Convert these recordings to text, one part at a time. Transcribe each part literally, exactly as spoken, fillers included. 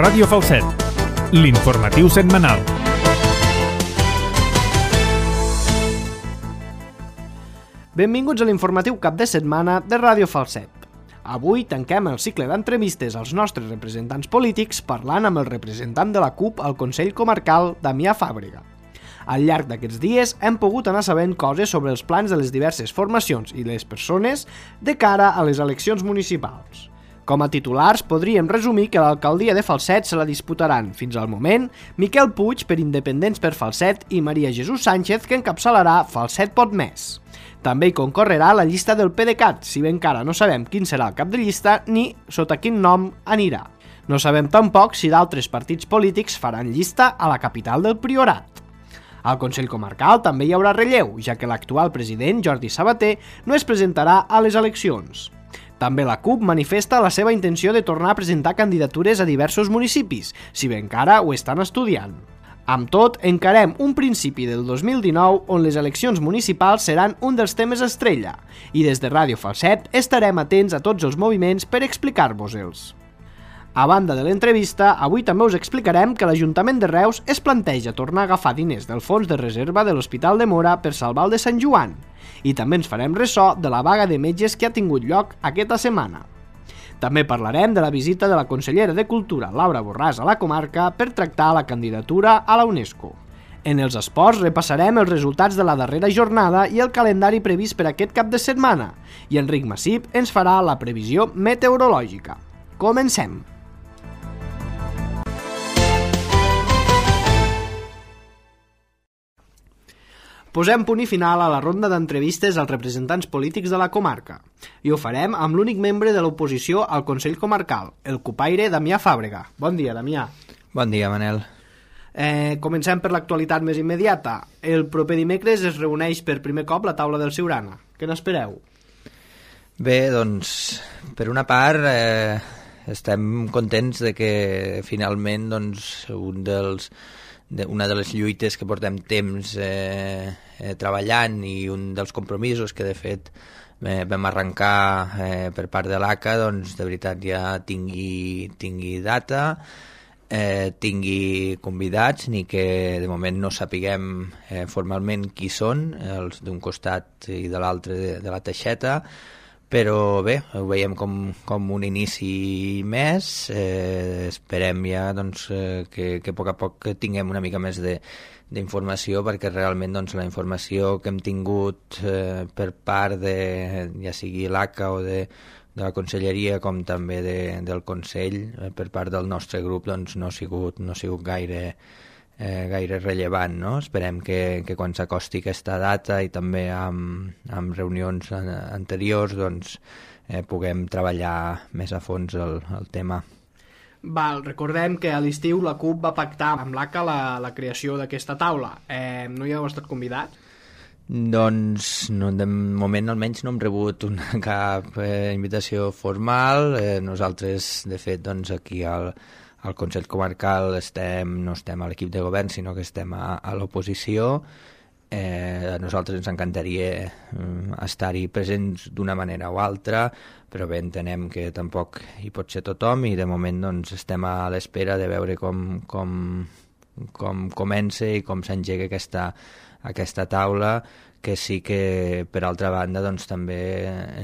Ràdio Falset, l'informatiu setmanal. Benvinguts a l'informatiu cap de setmana de Ràdio Falset. Avui tanquem el cicle d'entrevistes als nostres representants polítics parlant amb el representant de la CUP al Consell Comarcal, Damià Fàbrega. Al llarg d'aquests dies hem pogut anar sabent coses sobre els plans de les diverses formacions i les persones de cara a les eleccions municipals. Com a titulars, podríem resumir que l'alcaldia de Falset se la disputaran, fins al moment, Miquel Puig per Independents per Falset i Maria Jesús Sánchez, que encapçalarà Falset Pot Més. També hi concorrerà la llista del PDeCAT, si bé encara no sabem quin serà el cap de llista ni sota quin nom anirà. No sabem tampoc si d'altres partits polítics faran llista a la capital del Priorat. Al Consell Comarcal també hi haurà relleu, ja que l'actual president, Jordi Sabater, no es presentarà a les eleccions. També la CUP manifesta la seva intenció de tornar a presentar candidatures a diversos municipis, si bé encara ho estan estudiant. Amb tot, encarem un principi del dos mil dinou on les eleccions municipals seran un dels temes estrella, i des de Ràdio Falset estarem atents a tots els moviments per explicar-vos-els. A banda de l'entrevista, avui també us explicarem que l'Ajuntament de Reus es planteja tornar a agafar diners del fons de reserva de l'Hospital de Móra per salvar el de Sant Joan, i també ens farem ressò de la vaga de metges que ha tingut lloc aquesta setmana. També parlarem de la visita de la consellera de Cultura, Laura Borràs, a la comarca per tractar la candidatura a la UNESCO. En els esports repassarem els resultats de la darrera jornada i el calendari previst per aquest cap de setmana, i Enric Massip ens farà la previsió meteorològica. Comencem! Posem punt i final a la ronda d'entrevistes als representants polítics de la comarca. I ho farem amb l'únic membre de l'oposició al Consell Comarcal, el cupaire Damià Fàbrega. Bon dia, Damià. Bon dia, Manel. Eh, comencem per l'actualitat més immediata. El proper dimecres es reuneix per primer cop la taula del Siurana. Què n'espereu? Bé, doncs, per una part, eh, estem contents de que finalment doncs, un dels... una de les lluites que portem temps eh, eh, treballant i un dels compromisos que de fet eh, vam arrencar eh, per part de l'A C A, doncs de veritat ja tingui, tingui data, eh, tingui convidats, ni que de moment no sapiguem eh, formalment qui són, els d'un costat i de l'altre de, de la teixeta, però bé, ho veiem com, com un inici més, eh, esperem ja doncs, eh, que, que a poc a poc tinguem una mica més de, d'informació, perquè realment doncs, la informació que hem tingut eh, per part de, ja sigui l'A C A o de, de la Conselleria com també de, del Consell, eh, per part del nostre grup doncs, no ha sigut, no ha sigut gaire... Eh, gaire rellevant, no? Esperem que, que quan s'acosti aquesta data i també amb, amb reunions anteriors doncs, eh, puguem treballar més a fons el, el tema. Val, recordem que a l'estiu la CUP va pactar amb l'A C A la, la creació d'aquesta taula. Eh, no hi heu estat convidat? Doncs no, de moment almenys no hem rebut una, cap eh, invitació formal. Eh, nosaltres, de fet, doncs, aquí al Al Consell Comarcal estem, no estem a l'equip de govern, sinó que estem a, a l'oposició. Eh, a nosaltres ens encantaria eh, estar-hi presents d'una manera o altra, però bé, entenem que tampoc hi pot ser tothom i de moment doncs, estem a l'espera de veure com, com, com comença i com s'engega aquesta, aquesta taula, que sí que, per altra banda, doncs, també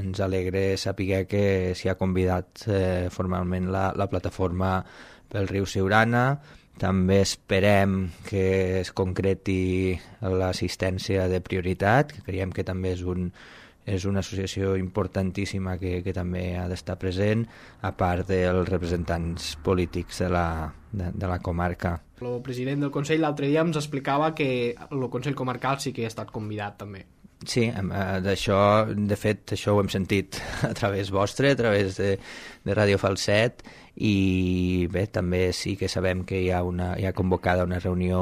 ens alegra saber que s'hi ha convidat eh, formalment la, la plataforma pel riu Siurana. També esperem que es concreti l'assistència de prioritat, que creiem que també és, un, és una associació importantíssima que, que també ha d'estar present, a part dels representants polítics de la, de, de la comarca. El president del Consell l'altre dia ens explicava que el Consell Comarcal sí que ha estat convidat també. Sí, d'això, de fet, això ho hem sentit a través vostre, a través de, de Ràdio Falset, i bé, també sí que sabem que hi ha, una, hi ha convocada una reunió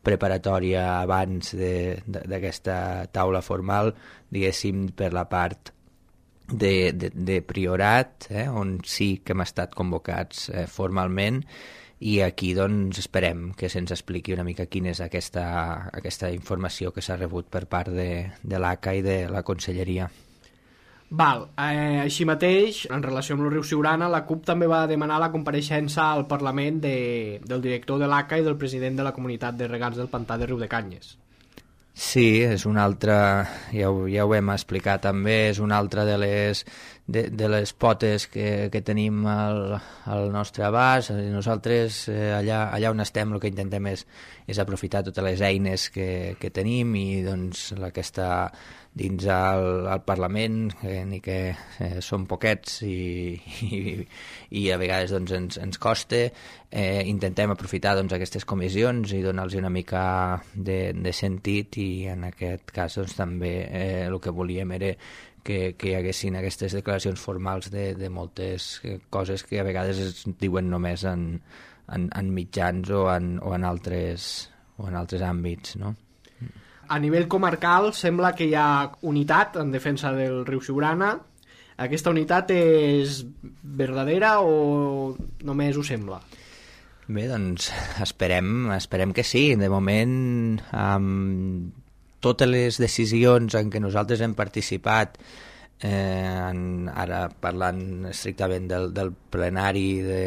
preparatòria abans d'aquesta taula formal, diguéssim, per la part de, de, de Priorat, eh, on sí que hem estat convocats eh, formalment, i aquí doncs esperem que se'ns expliqui una mica quina és aquesta, aquesta informació que s'ha rebut per part de, de l'A C A i de la Conselleria. Val, eh, així mateix, en relació amb el riu Siurana, la CUP també va demanar la compareixença al Parlament de, del director de l'A C A i del president de la comunitat de regants del pantà de Riudecanyes. Sí, és una altra, ja ho, ja ho hem explicat també, és una altra de les, de, de les potes que, que tenim al, al nostre abast. Nosaltres eh, allà, allà on estem el que intentem és, és aprofitar totes les eines que, que tenim i doncs la que està dins al, al Parlament, eh, ni que eh, són poquets i, i, i a vegades doncs, ens, ens costa, eh, intentem aprofitar doncs, aquestes comissions i donar-los una mica de, de sentit, i en aquest cas doncs, també eh, el que volíem era que, que hi haguessin aquestes declaracions formals de, de moltes coses que a vegades es diuen només en, en, en mitjans o en, o en altres, o en altres àmbits, no? A nivell comarcal sembla que hi ha unitat en defensa del riu Siurana. Aquesta unitat és verdadera o només ho sembla? Bé, doncs esperem, esperem que sí. De moment, amb totes les decisions en què nosaltres hem participat, eh, en, ara parlant estrictament del, del plenari de,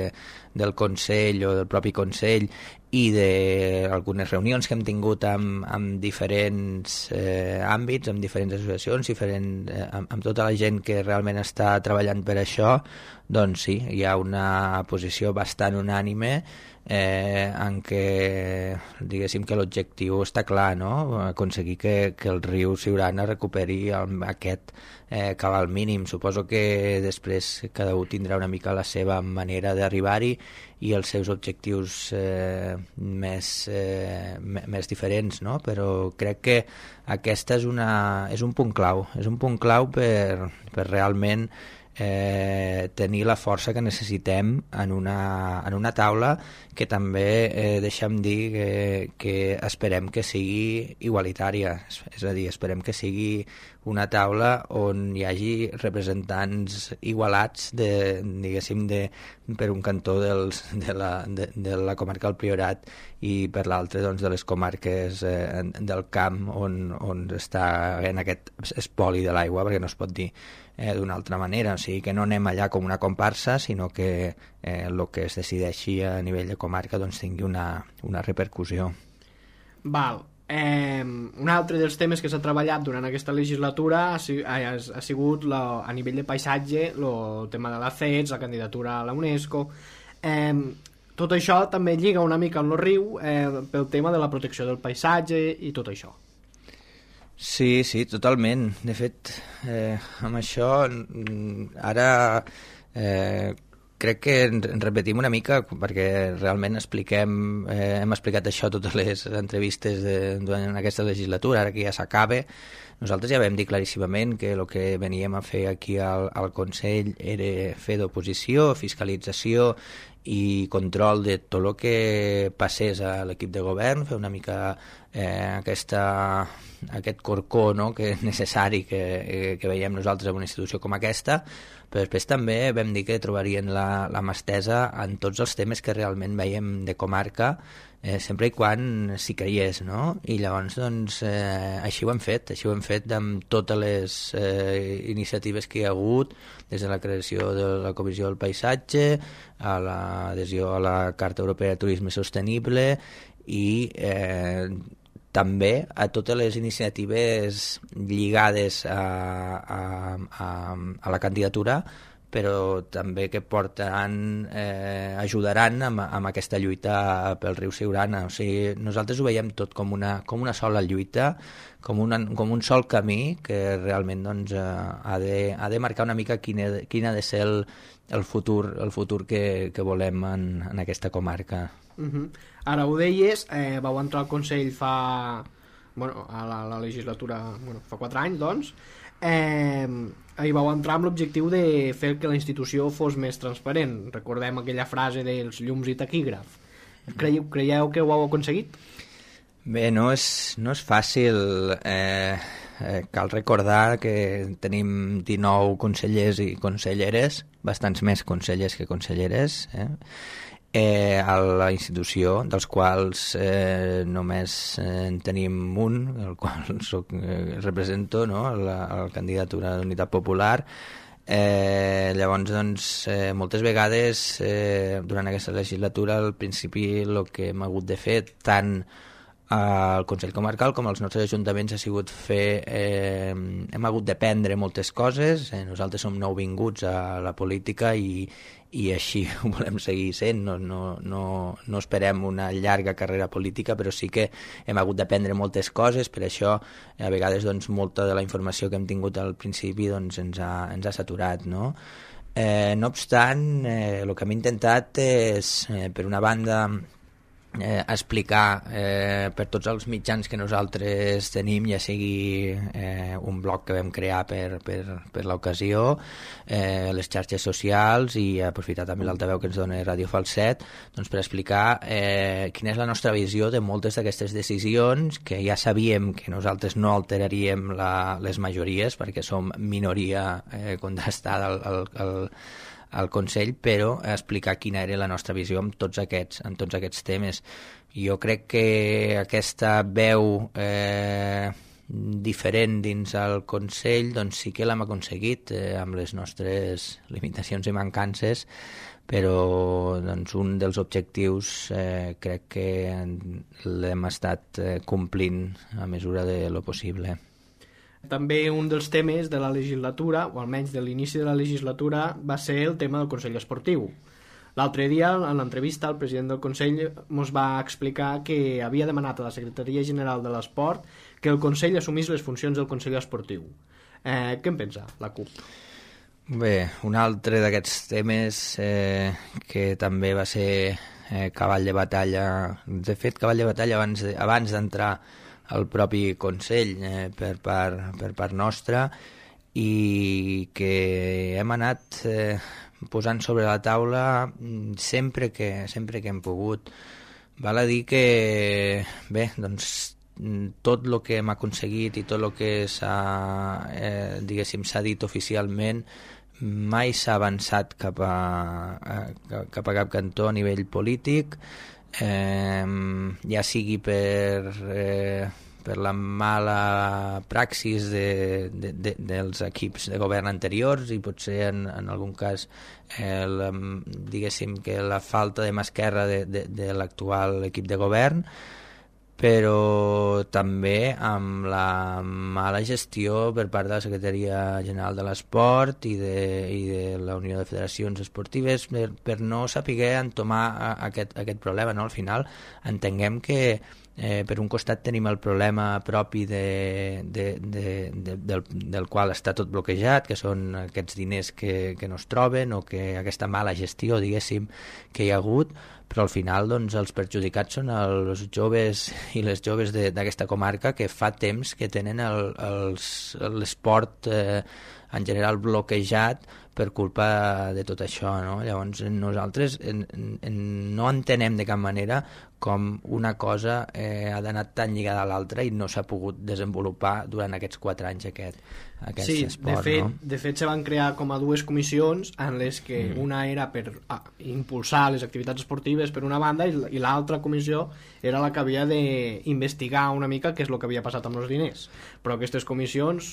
del Consell o del propi Consell, i d'algunes reunions que hem tingut amb, amb diferents eh, àmbits, amb diferents associacions, diferent, eh, amb, amb tota la gent que realment està treballant per això, doncs sí, hi ha una posició bastant unànime eh, en què, diguéssim, que l'objectiu està clar, no? Aconseguir que, que el riu Siurana recuperi el, aquest eh, cabal mínim. Suposo que després cada un tindrà una mica la seva manera d'arribar-hi i els seus objectius eh, més, eh, més diferents, no? Però crec que aquesta és, una, és un punt clau, és un punt clau per, per realment eh, tenir la força que necessitem en una, en una taula que també, eh, deixa'm dir, que, que esperem que sigui igualitària, és a dir, esperem que sigui una taula on hi hagi representants igualats de, diguéssim, de, per un cantó dels, de, la, de, de la comarca del Priorat i per l'altre doncs, de les comarques eh, del camp on, on està en aquest espoli de l'aigua, perquè no es pot dir eh, d'una altra manera, o sigui que no anem allà com una comparsa, sinó que eh, el que es decideixi a nivell de comarca doncs, tingui una, una repercussió. Val. Eh, un altre dels temes que s'ha treballat durant aquesta legislatura ha, ha, ha sigut la, a nivell de paisatge el tema de la C E T S, la candidatura a la UNESCO. Eh, tot això també lliga una mica amb el riu eh, pel tema de la protecció del paisatge i tot això. Sí, sí, totalment. De fet, eh, amb això ara eh, crec que ens repetim una mica perquè realment expliquem, eh, hem explicat això a totes les entrevistes de, durant aquesta legislatura, ara que ja s'acaba. Nosaltres ja vam dir claríssimament que el que veníem a fer aquí al, al Consell era fer d'oposició, fiscalització i control de tot el que passés a l'equip de govern, fer una mica eh, aquesta, aquest corcó, no?, que és necessari que, que veiem nosaltres en una institució com aquesta, però després també vam dir que trobarien la, la mà estesa en tots els temes que realment veiem de comarca, eh, sempre i quan s'hi creiés, no? I llavors, doncs, eh, així ho hem fet, així ho hem fet amb totes les eh, iniciatives que hi ha hagut, des de la creació de la Comissió del Paisatge, a l'adhesió a la Carta Europea de Turisme Sostenible i eh, també a totes les iniciatives lligades a, a, a, a la candidatura, però també que portaran, eh, ajudaran amb, amb aquesta lluita pel riu Siurana. O sigui, nosaltres ho veiem tot com una, com una sola lluita, com, una, com un sol camí que realment doncs, eh, ha, de, ha de marcar una mica quin, he, quin ha de ser el, el futur, el futur que, que volem en, en aquesta comarca. Uh-huh. Ara ho deies, eh, vau entrar al Consell fa... Bueno, a la, la legislatura... Bueno, fa quatre anys, doncs. Eh, hi vau entrar amb l'objectiu de fer que la institució fos més transparent. Recordem aquella frase dels llums i taquígraf. Creieu, creieu que ho heu aconseguit? Bé, no és, no és fàcil. Eh, eh, cal recordar que tenim dinou consellers i conselleres, bastants més consellers que conselleres, eh? eh, a la institució, dels quals eh, només eh, en tenim un, el qual soc, eh, represento, no? la, la candidatura d'Unitat Popular. Eh, llavors, doncs, eh, moltes vegades eh, durant aquesta legislatura al principi el que hem hagut de fer tant al Consell Comarcal com als nostres ajuntaments ha sigut fer, eh, hem hagut d'aprendre moltes coses, eh, nosaltres som nouvinguts a la política i, i així ho volem seguir sent, no, no, no, no esperem una llarga carrera política, però sí que hem hagut d'aprendre moltes coses, per això a vegades doncs, molta de la informació que hem tingut al principi doncs, ens, ha, ens ha saturat, no? Eh, no obstant, eh, el que hem intentat és, eh, per una banda, Eh, explicar eh, per tots els mitjans que nosaltres tenim, ja sigui eh, un blog que vam crear per, per, per l'ocasió, eh, les xarxes socials i aprofitar també l'altaveu que ens dona Ràdio Falset, doncs per explicar eh, quina és la nostra visió de moltes d'aquestes decisions que ja sabíem que nosaltres no alteraríem la, les majories perquè som minoria eh, contrastada al, al, al al Consell, però explicar quina era la nostra visió en tots aquests, en tots aquests temes. Jo crec que aquesta veu eh, diferent dins el Consell doncs sí que l'hem aconseguit eh, amb les nostres limitacions i mancances, però doncs, un dels objectius eh, crec que l'hem estat eh, complint a mesura de lo possible. També un dels temes de la legislatura, o almenys de l'inici de la legislatura, va ser el tema del Consell Esportiu. L'altre dia, en l'entrevista, el president del Consell ens va explicar que havia demanat a la Secretaria General de l'Esport que el Consell assumís les funcions del Consell Esportiu. Eh, què en pensa la CUP? Bé, un altre d'aquests temes eh, que també va ser eh, cavall de batalla, de fet, cavall de batalla abans de, abans d'entrar el propi Consell eh, per, part, per part nostra i que hem anat eh, posant sobre la taula sempre que, sempre que hem pogut. Val a dir que bé, doncs tot el que hem aconseguit i tot el que s'ha eh, diguéssim s'ha dit oficialment mai s'ha avançat cap a, a, cap a cap cantó a nivell polític. Eh, ja sigui per, eh, per la mala praxis de, de, de, dels equips de govern anteriors i potser en, en algun cas eh, la, diguéssim que la falta de mà esquerra de, de, de l'actual equip de govern, però també amb la mala gestió per part de la Secretaria General de l'Esport i de, i de la Unió de Federacions Esportives per, per no saber entomar aquest, aquest problema. No? Al final entenguem que eh, per un costat tenim el problema propi de, de, de, de, del, del qual està tot bloquejat, que són aquests diners que, que no es troben o que aquesta mala gestió, diguéssim, que hi ha hagut, però al final doncs, els perjudicats són els joves i les joves d'aquesta comarca que fa temps que tenen l'esport eh, en general bloquejat per culpa de tot això. No? Llavors nosaltres en, en, no entenem de cap manera com una cosa eh, ha d'anar tan lligada a l'altra i no s'ha pogut desenvolupar durant aquests quatre anys aquest, aquest sí, esport. De fet, no? de fet se van crear com a dues comissions en les que mm. una era per ah, impulsar les activitats esportives per una banda i, i l'altra comissió era la que havia d'investigar una mica què és el que havia passat amb els diners. Però aquestes comissions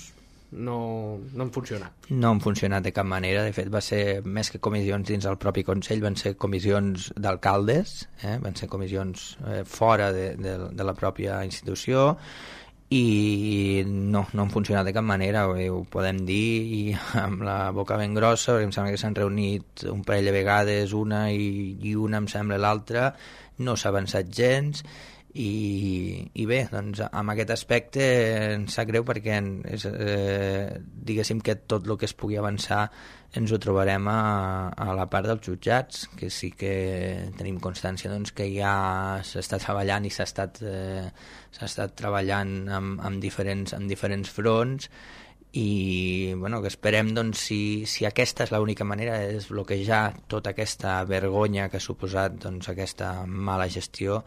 no, no han funcionat. No han funcionat de cap manera. De fet, va ser més que comissions dins del propi Consell, van ser comissions d'alcaldes, eh? van ser comissions eh, fora de, de, de la pròpia institució i no, no han funcionat de cap manera, ho podem dir i amb la boca ben grossa, perquè em sembla que s'han reunit un parell de vegades, una i, i una em sembla l'altra, no s'ha avançat gens. I, i bé, doncs amb aquest aspecte ens sap greu perquè és, eh, diguéssim que tot el que es pugui avançar ens ho trobarem a, a la part dels jutjats, que sí que tenim constància doncs, que ja s'està treballant i s'ha estat, eh, s'ha estat treballant amb, amb, diferents, amb diferents fronts i bueno, que esperem doncs, si, si aquesta és l'única manera de desbloquejar tota aquesta vergonya que ha suposat doncs, aquesta mala gestió,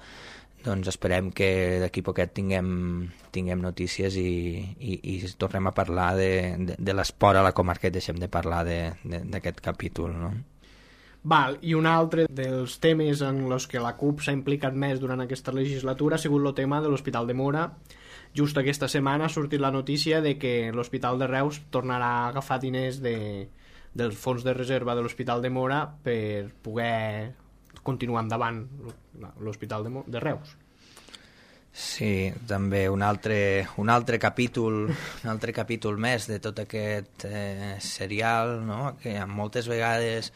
doncs esperem que d'aquí poquet tinguem, tinguem notícies i, i, i tornem a parlar de, de, de l'esport a la comarca i deixem de parlar d'aquest capítol, no? Val, i un altre dels temes en els que la CUP s'ha implicat més durant aquesta legislatura ha sigut el tema de l'Hospital de Móra. Just aquesta setmana ha sortit la notícia de que l'Hospital de Reus tornarà a agafar diners de, dels fons de reserva de l'Hospital de Móra per poder continuar endavant l'Hospital de, de Reus. Sí, també un altre, un altre capítol un altre capítol més de tot aquest eh, serial, no? Que moltes vegades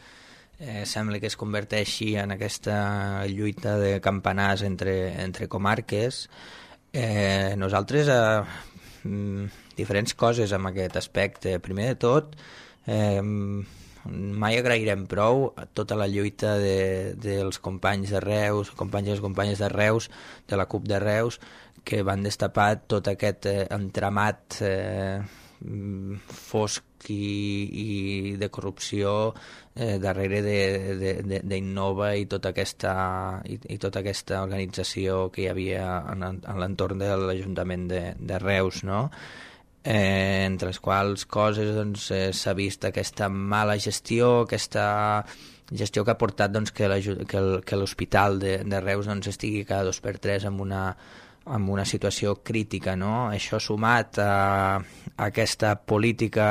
eh, sembla que es converteixi en aquesta lluita de campanars entre, entre comarques. Eh, nosaltres eh, diferents coses amb aquest aspecte. Primer de tot, eh, mai agrairem prou tota la lluita de, dels companys de Reus, companys i companyes de Reus, de la CUP de Reus, que van destapar tot aquest eh, entramat eh, fosc i, i de corrupció eh, darrere d'Innova i tota aquesta i, i tota aquesta organització que hi havia en, en l'entorn de l'Ajuntament de, de Reus, no? Eh, entre les quals coses doncs, eh, s'ha vist aquesta mala gestió, aquesta gestió que ha portat doncs, que l'hospital de, de Reus doncs, estigui cada dos per tres amb una, amb una situació crítica, no? Això sumat a, a aquesta política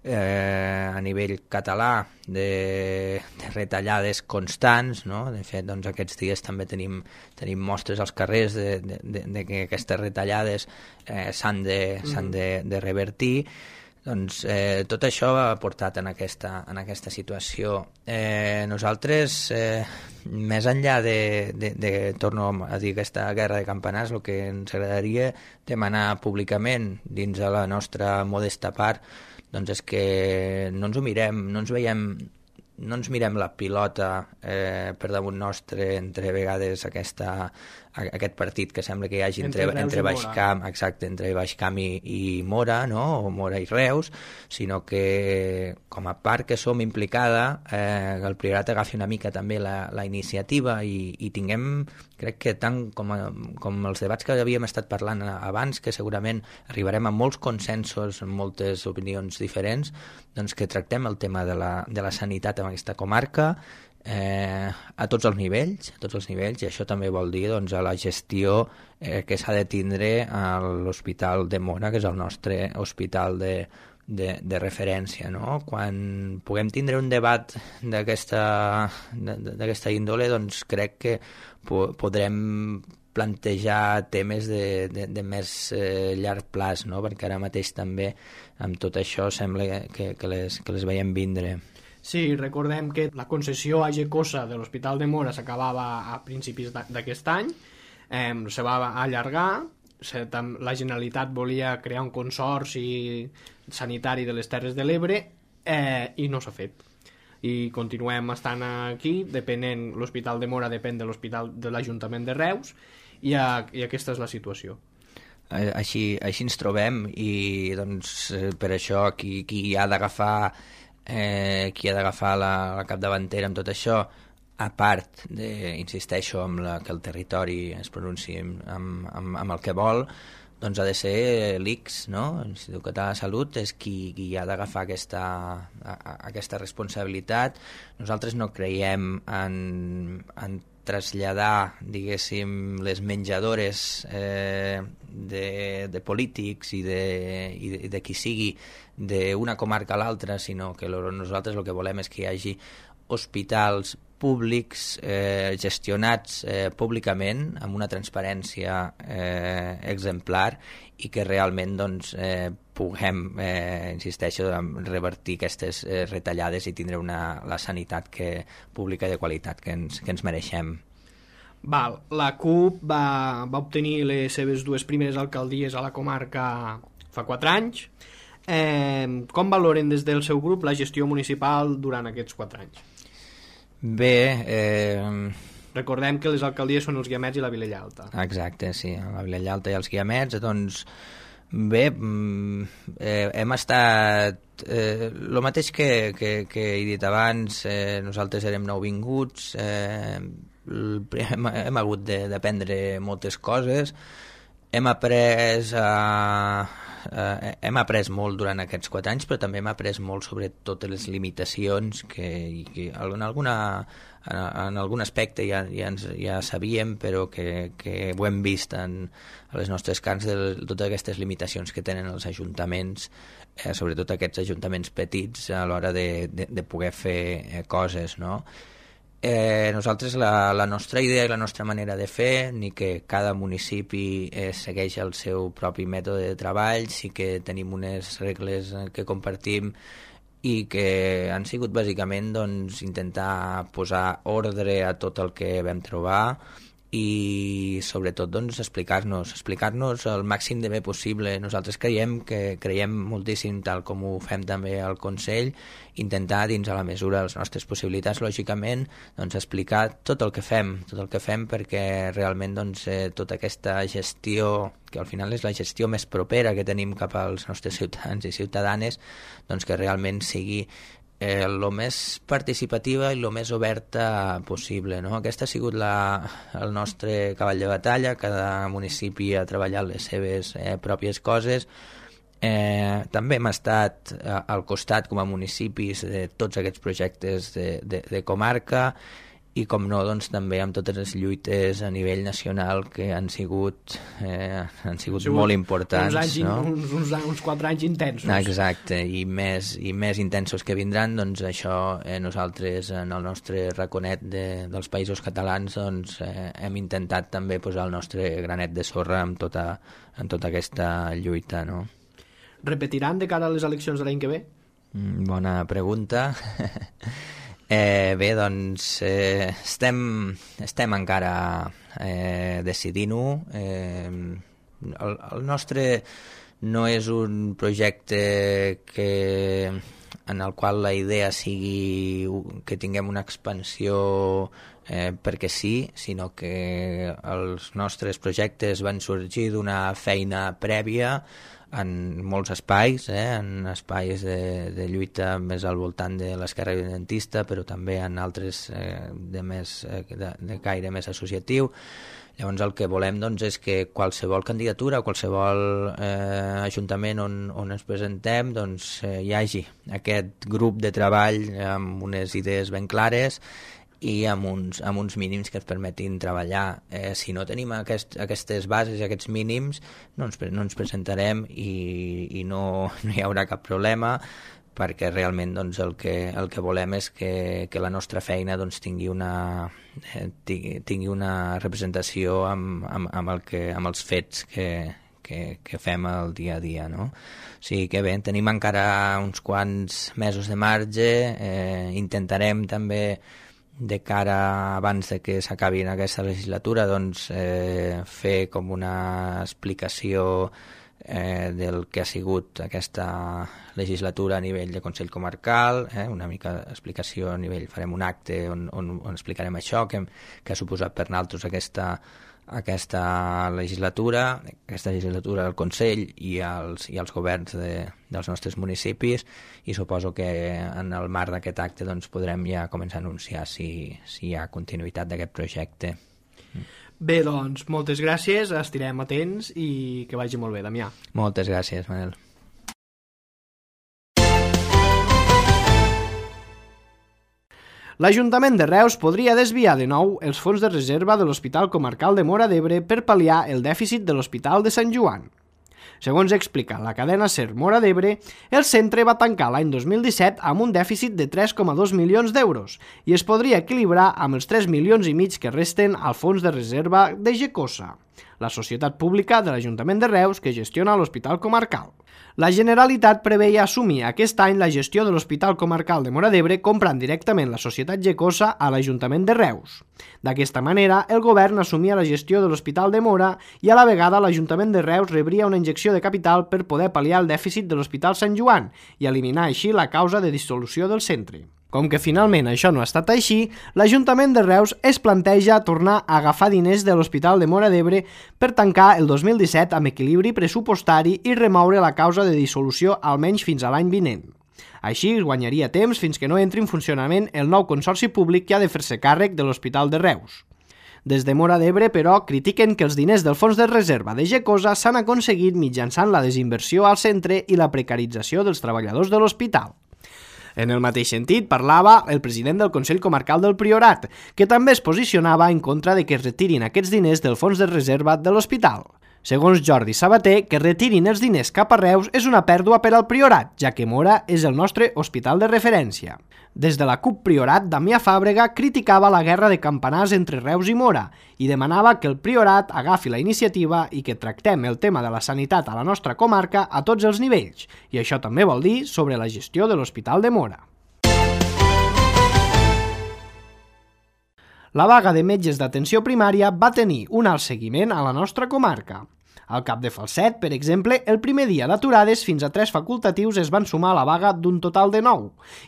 eh, a nivell català de, de retallades constants, no? De fet, doncs, aquests dies també tenim, tenim mostres als carrers de, de, de, de que aquestes retallades eh, s'han de, s'han de, de revertir. Doncs eh, tot això ha portat en aquesta, en aquesta situació. Eh, nosaltres, eh, més enllà de, de, de, torno a dir, aquesta guerra de campanars, el que ens agradaria demanar públicament dins de la nostra modesta part, doncs és que no ens ho mirem, no ens veiem, no ens mirem la pilota eh, per damunt nostre entre vegades aquesta, aquest partit que sembla que hi hagi entre, entre, entre Baixcamp, exacte, entre Baixcamp i, i Móra, no? O Móra i Reus, sinó que com a part que som implicada, eh, el Priorat agafi una mica també la, la iniciativa i, i tinguem, crec que tant com, a, com els debats que havíem estat parlant abans, que segurament arribarem a molts consensos, amb moltes opinions diferents, doncs que tractem el tema de la, de la sanitat en aquesta comarca, Eh, a tots els nivells, a tots els nivells, i això també vol dir doncs, a la gestió eh, que s'ha de tindre a l'Hospital de Móra, que és el nostre hospital de, de, de referència, no? Quan puguem tindre un debat d'aquesta d'aquesta índole, doncs crec que po podrem plantejar temes de, de, de més eh, llarg plaç, no? Perquè ara mateix també amb tot això sembla que, que, les, que les veiem vindre. Sí, recordem que la concessió a Gecosa de l'Hospital de Móra s'acabava a principis d'aquest any, eh, se va allargar, se, tam, la Generalitat volia crear un consorci sanitari de les Terres de l'Ebre eh, i no s'ha fet. I continuem estant aquí, depenent, l'Hospital de Móra depèn de l'Hospital de l'Ajuntament de Reus i, a, i aquesta és la situació. Així, així ens trobem i doncs, per això qui, qui ha d'agafar Eh, qui ha d'agafar la, la capdavantera amb tot això, a part de, insisteixo, amb la, que el territori es pronunciï amb, amb, amb el que vol, doncs ha de ser l'I C S, no? l'Institut Català de Salut és qui, qui ha d'agafar aquesta, a, a, aquesta responsabilitat. Nosaltres no creiem en, en traslladar, diguéssim, les menjadores eh, de, de polítics i de, i de, de qui sigui d'una comarca a l'altra, sinó que lo, nosaltres el que volem és que hi hagi hospitals públics eh, gestionats eh, públicament amb una transparència eh, exemplar i que realment doncs, eh, puguem, eh, insisteixo, revertir aquestes eh, retallades i tindre una, la sanitat que, pública de qualitat que ens, que ens mereixem. Val, la CUP va, va obtenir les seves dues primeres alcaldies a la comarca fa quatre anys. Eh, com valoren des del seu grup la gestió municipal durant aquests quatre anys? Bé, eh... recordem que les alcaldies són els Guiamets i la Vilella Alta. Exacte, sí, la Vilella Alta i els Guiamets, doncs bé, eh, hem estat eh, el mateix que, que, que he dit abans, eh, nosaltres érem nouvinguts, eh, hem, hem hagut d'aprendre moltes coses, hem après a eh, hem après molt durant aquests quatre anys, però també hem après molt sobre totes les limitacions que, que en, alguna, en, en algun aspecte ja, ja, ens, ja sabíem, però que, que ho hem vist en, a les nostres carns de totes aquestes limitacions que tenen els ajuntaments, eh, sobretot aquests ajuntaments petits a l'hora de, de, de poder fer eh, coses, no? Eh, nosaltres la, la nostra idea i la nostra manera de fer, ni que cada municipi eh, segueix el seu propi mètode de treball, sí que tenim unes regles que compartim i que han sigut bàsicament doncs, intentar posar ordre a tot el que vam trobar i sobretot doncs, explicar-nos explicar-nos el màxim de bé possible. Nosaltres creiem que creiem moltíssim, tal com ho fem també al Consell, intentar dins a la mesura de les nostres possibilitats, lògicament, doncs, explicar tot el que fem, tot el que fem perquè realment doncs, eh, tota aquesta gestió, que al final és la gestió més propera que tenim cap als nostres ciutadans i ciutadanes, doncs que realment sigui Eh, el més participativa i el més oberta possible, no? Aquest ha sigut la, el nostre cavall de batalla. Cada municipi ha treballat les seves eh, pròpies coses. Eh, també hem estat eh, al costat com a municipis de tots aquests projectes de, de, de comarca i com no, doncs, també amb totes les lluites a nivell nacional que han sigut, eh, han sigut, sigut molt importants. Uns, anys, no? uns, uns, uns quatre anys intensos. Exacte, i més, i més intensos que vindran, doncs això eh, nosaltres en el nostre raconet de, dels països catalans doncs, eh, hem intentat també posar el nostre granet de sorra en tota, en tota aquesta lluita, no? Repetiran de cara a les eleccions de l'any que ve? Mm, bona pregunta. Eh, bé, doncs eh, estem, estem encara eh, decidint-ho. Eh, el, el nostre no és un projecte que, en el qual la idea sigui que tinguem una expansió eh, perquè sí, sinó que els nostres projectes van sorgir d'una feina prèvia en molts espais, eh, en espais de, de lluita més al voltant de l'esquerra independentista, però també en altres eh, de, més, eh, de, de caire més associatiu. Llavors el que volem doncs, és que qualsevol candidatura o qualsevol eh, ajuntament on, on ens presentem doncs, eh, hi hagi aquest grup de treball amb unes idees ben clares i amb uns, amb uns mínims que ens permetin treballar. Eh, si no tenim aquest, aquestes bases i aquests mínims, no ens, no ens presentarem i, i no, no hi haurà cap problema, perquè realment doncs, el, que, el que volem és que, que la nostra feina doncs, tingui, una, eh, tingui, tingui una representació amb, amb, amb, el que, amb els fets que, que, que fem el dia a dia, no? O sigui que bé, tenim encara uns quants mesos de marge, eh, intentarem també de cara abans de que s'acabi aquesta legislatura doncs, eh, fer com una explicació eh, del que ha sigut aquesta legislatura a nivell de Consell Comarcal, eh, una mica explicació a nivell, farem un acte on, on, on explicarem això, que, que ha suposat per nosaltres aquesta, aquesta legislatura, aquesta legislatura del Consell i els, i els governs de, dels nostres municipis, i suposo que en el marc d'aquest acte doncs, podrem ja començar a anunciar si, si hi ha continuïtat d'aquest projecte. Bé, doncs, moltes gràcies, estirem atents i que vagi molt bé, Damià. Moltes gràcies, Manel. L'Ajuntament de Reus podria desviar de nou els fons de reserva de l'Hospital Comarcal de Móra d'Ebre per pal·liar el dèficit de l'Hospital de Sant Joan. Segons explica la cadena SER Móra d'Ebre, el centre va tancar l'any dos mil disset amb un dèficit de tres coma dos milions d'euros i es podria equilibrar amb els tres milions i mig que resten al fons de reserva de Gecosa, la societat pública de l'Ajuntament de Reus que gestiona l'Hospital Comarcal. La Generalitat preveia assumir aquest any la gestió de l'Hospital Comarcal de Móra d'Ebre comprant directament la societat Gecosa a l'Ajuntament de Reus. D'aquesta manera, el govern assumia la gestió de l'Hospital de Móra i a la vegada l'Ajuntament de Reus rebria una injecció de capital per poder pal·liar el dèficit de l'Hospital Sant Joan i eliminar així la causa de dissolució del centre. Com que finalment això no ha estat així, l'Ajuntament de Reus es planteja tornar a agafar diners de l'Hospital de Móra d'Ebre per tancar el dos mil disset amb equilibri pressupostari i remoure la causa de dissolució almenys fins a l'any vinent. Així es guanyaria temps fins que no entri en funcionament el nou consorci públic que ha de fer-se càrrec de l'Hospital de Reus. Des de Móra d'Ebre, però, critiquen que els diners del fons de reserva de Gecosa s'han aconseguit mitjançant la desinversió al centre i la precarització dels treballadors de l'hospital. En el mateix sentit parlava el president del Consell Comarcal del Priorat, que també es posicionava en contra de que es retirin aquests diners del fons de reserva de l'hospital. Segons Jordi Sabater, que retirin els diners cap a Reus és una pèrdua per al Priorat, ja que Móra és el nostre hospital de referència. Des de la CUP Priorat, Damià Fàbrega criticava la guerra de campanars entre Reus i Móra i demanava que el Priorat agafi la iniciativa i que tractem el tema de la sanitat a la nostra comarca a tots els nivells, i això també vol dir sobre la gestió de l'Hospital de Móra. La vaga de metges d'atenció primària va tenir un alt seguiment a la nostra comarca. Al Cap de Falset, per exemple, el primer dia d'aturades fins a tres facultatius es van sumar a la vaga d'un total de nou,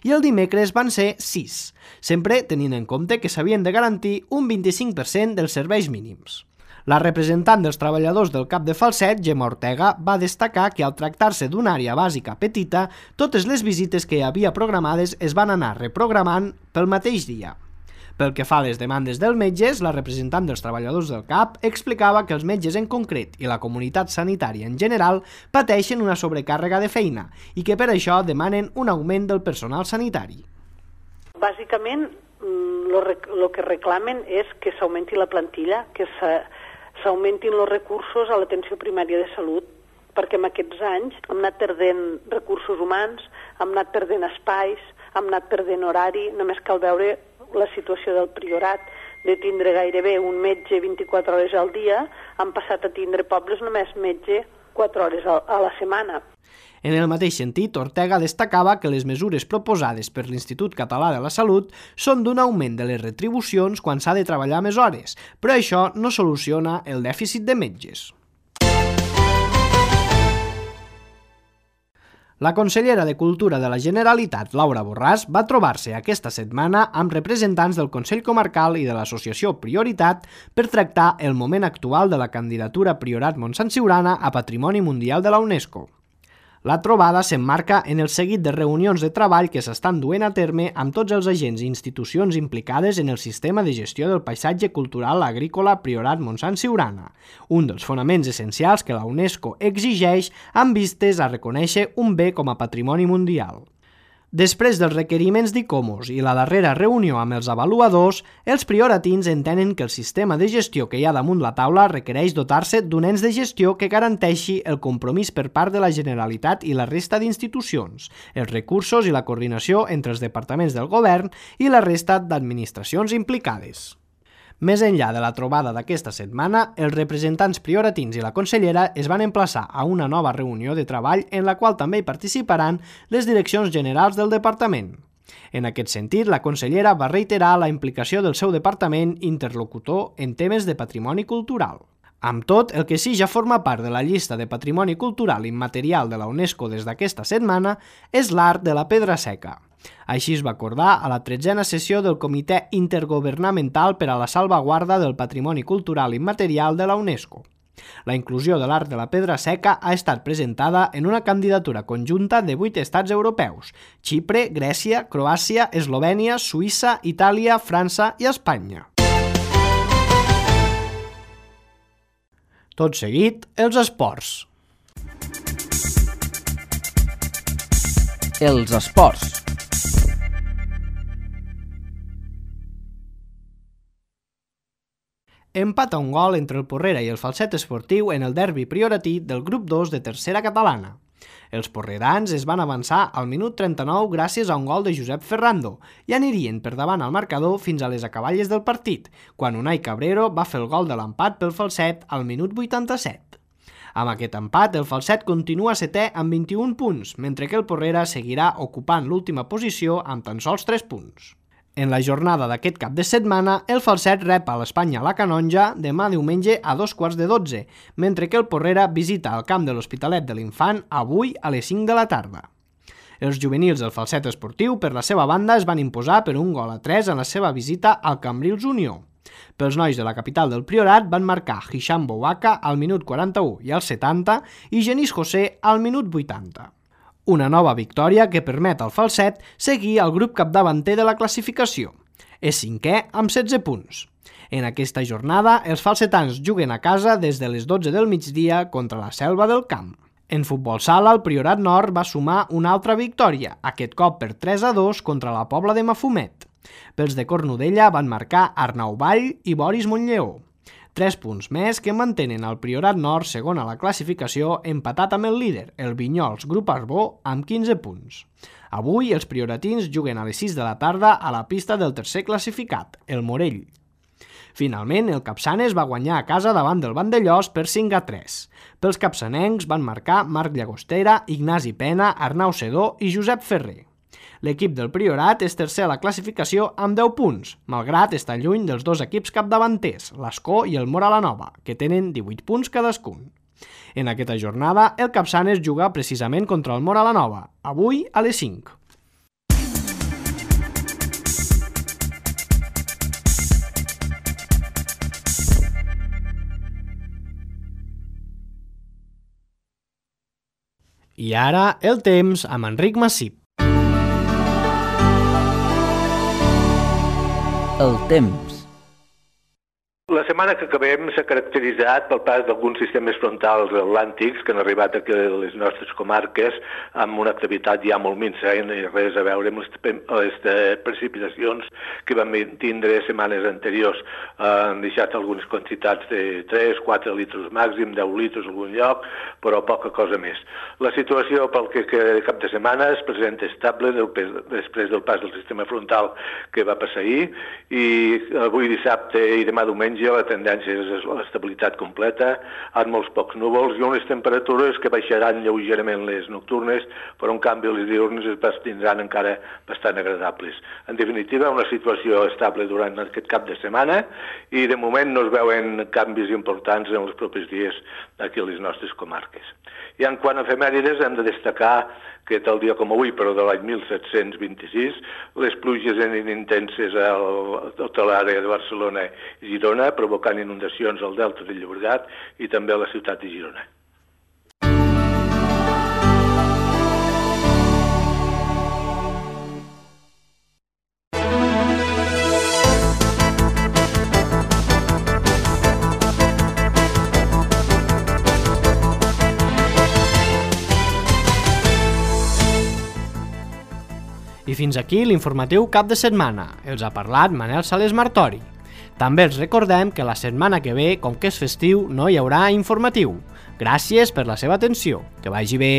i el dimecres van ser sis, sempre tenint en compte que s'havien de garantir un vint-i-cinc per cent dels serveis mínims. La representant dels treballadors del Cap de Falset, Gemma Ortega, va destacar que al tractar-se d'una àrea bàsica petita, totes les visites que hi havia programades es van anar reprogramant pel mateix dia. Pel que fa a les demandes dels metges, la representant dels treballadors del C A P explicava que els metges en concret i la comunitat sanitària en general pateixen una sobrecàrrega de feina i que per això demanen un augment del personal sanitari. Bàsicament, el que reclamen és que s'augmenti la plantilla, que s'augmentin els recursos a l'atenció primària de salut, perquè en aquests anys hem anat perdent recursos humans, hem anat perdent espais, hem anat perdent horari, només cal veure la situació del Priorat, de tindre gairebé un metge vint-i-quatre hores al dia, han passat a tindre pobles només metge quatre hores a la setmana. En el mateix sentit, Ortega destacava que les mesures proposades per l'Institut Català de la Salut són d'un augment de les retribucions quan s'ha de treballar més hores, però això no soluciona el dèficit de metges. La consellera de Cultura de la Generalitat, Laura Borràs, va trobar-se aquesta setmana amb representants del Consell Comarcal i de l'associació Prioritat per tractar el moment actual de la candidatura Priorat Montsant Siurana a Patrimoni Mundial de la UNESCO. La trobada s'emmarca en el seguit de reunions de treball que s'estan duent a terme amb tots els agents i institucions implicades en el sistema de gestió del paisatge cultural agrícola Priorat Montsant Siurana, un dels fonaments essencials que la UNESCO exigeix amb vistes a reconèixer un bé com a patrimoni mundial. Després dels requeriments d'ICOMOS i la darrera reunió amb els avaluadors, els prioratins entenen que el sistema de gestió que hi ha damunt la taula requereix dotar-se d'un ens de gestió que garanteixi el compromís per part de la Generalitat i la resta d'institucions, els recursos i la coordinació entre els departaments del govern i la resta d'administracions implicades. Més enllà de la trobada d'aquesta setmana, els representants prioratins i la consellera es van emplaçar a una nova reunió de treball en la qual també hi participaran les direccions generals del departament. En aquest sentit, la consellera va reiterar la implicació del seu departament interlocutor en temes de patrimoni cultural. Amb tot, el que sí ja forma part de la llista de patrimoni cultural immaterial de la UNESCO des d'aquesta setmana és l'art de la pedra seca. Així es va acordar a la tretzena sessió del Comitè Intergovernamental per a la Salvaguarda del Patrimoni Cultural Immaterial de la UNESCO. La inclusió de l'art de la pedra seca ha estat presentada en una candidatura conjunta de vuit estats europeus: Xipre, Grècia, Croàcia, Eslovènia, Suïssa, Itàlia, França i Espanya. Tot seguit, els esports. Els esports. Empat a un gol entre el Porrera i el Falset Esportiu en el derbi prioratí del grup dos de tercera catalana. Els porrerans es van avançar al minut trenta-nou gràcies a un gol de Josep Ferrando i anirien per davant al marcador fins a les acaballes del partit, quan Unai Cabrero va fer el gol de l'empat pel Falset al minut vuitanta-set. Amb aquest empat, el Falset continua setè amb vint-i-un punts, mentre que el Porrera seguirà ocupant l'última posició amb tan sols tres punts. En la jornada d'aquest cap de setmana, el Falset rep a l'Espanya la Canonja demà diumenge a dos quarts de dotze, mentre que el Porrera visita el camp de l'Hospitalet de l'Infant avui a les cinc de la tarda. Els juvenils del Falset Esportiu, per la seva banda, es van imposar per un gol a tres en la seva visita al Cambrils Unió. Pels nois de la capital del Priorat van marcar Hisham Bouaka al minut quaranta-u i al setanta i Genís José al minut vuitanta. Una nova victòria que permet al Falset seguir al grup capdavanter de la classificació. És cinquè amb setze punts. En aquesta jornada, els falsetans juguen a casa des de les dotze del migdia contra la Selva del Camp. En futbol sala, el Priorat Nord va sumar una altra victòria, aquest cop per tres a dos contra la Pobla de Mafumet. Pels de Cornudella van marcar Arnau Vall i Boris Montllleó. Tres punts més que mantenen el Priorat Nord segon a la classificació, empatat amb el líder, el Vinyols Grup Arbó, amb quinze punts. Avui els prioratins juguen a les sis de la tarda a la pista del tercer classificat, el Morell. Finalment, el Capçanes va guanyar a casa davant del Vandellós per cinc a tres. Pels capçanencs van marcar Marc Llagostera, Ignasi Pena, Arnau Sedó i Josep Ferrer. L'equip del Priorat és tercer a la classificació amb deu punts, malgrat estar lluny dels dos equips capdavanters, l'Ascó i el Moralanova, que tenen divuit punts cadascun. En aquesta jornada, el Capçanes juga precisament contra el Moralanova, avui a les cinc. I ara, el temps amb Enric Massip. El temps. La setmana que acabem s'ha caracteritzat pel pas d'alguns sistemes frontals atlàntics que han arribat aquí a les nostres comarques amb una activitat ja molt minsa i res a veure amb les, les precipitacions que vam tindre setmanes anteriors. Han deixat algunes quantitats de tres a quatre litres màxim, deu litres en algun lloc, però poca cosa més. La situació pel que queda de cap de setmana es presenta estable després del pas del sistema frontal que va passar ahir, i avui dissabte i demà diumenge la tendència és l'estabilitat completa, amb molts pocs núvols i unes temperatures que baixaran lleugerament les nocturnes, però en canvi les diurnes es tindran encara bastant agradables. En definitiva, una situació estable durant aquest cap de setmana i de moment no es veuen canvis importants en els propers dies aquí a les nostres comarques. I en quant a efemèrides, hem de destacar que tal dia com avui, però de l'any mil set-cents vint-i-sis, les pluges eren intenses a tota l'àrea de Barcelona i Girona, provocant inundacions al delta del Llobregat i també a la ciutat de Girona. I fins aquí l'informatiu cap de setmana. Els ha parlat Manel Sales Martori. També els recordem que la setmana que ve, com que és festiu, no hi haurà informatiu. Gràcies per la seva atenció. Que vagi bé!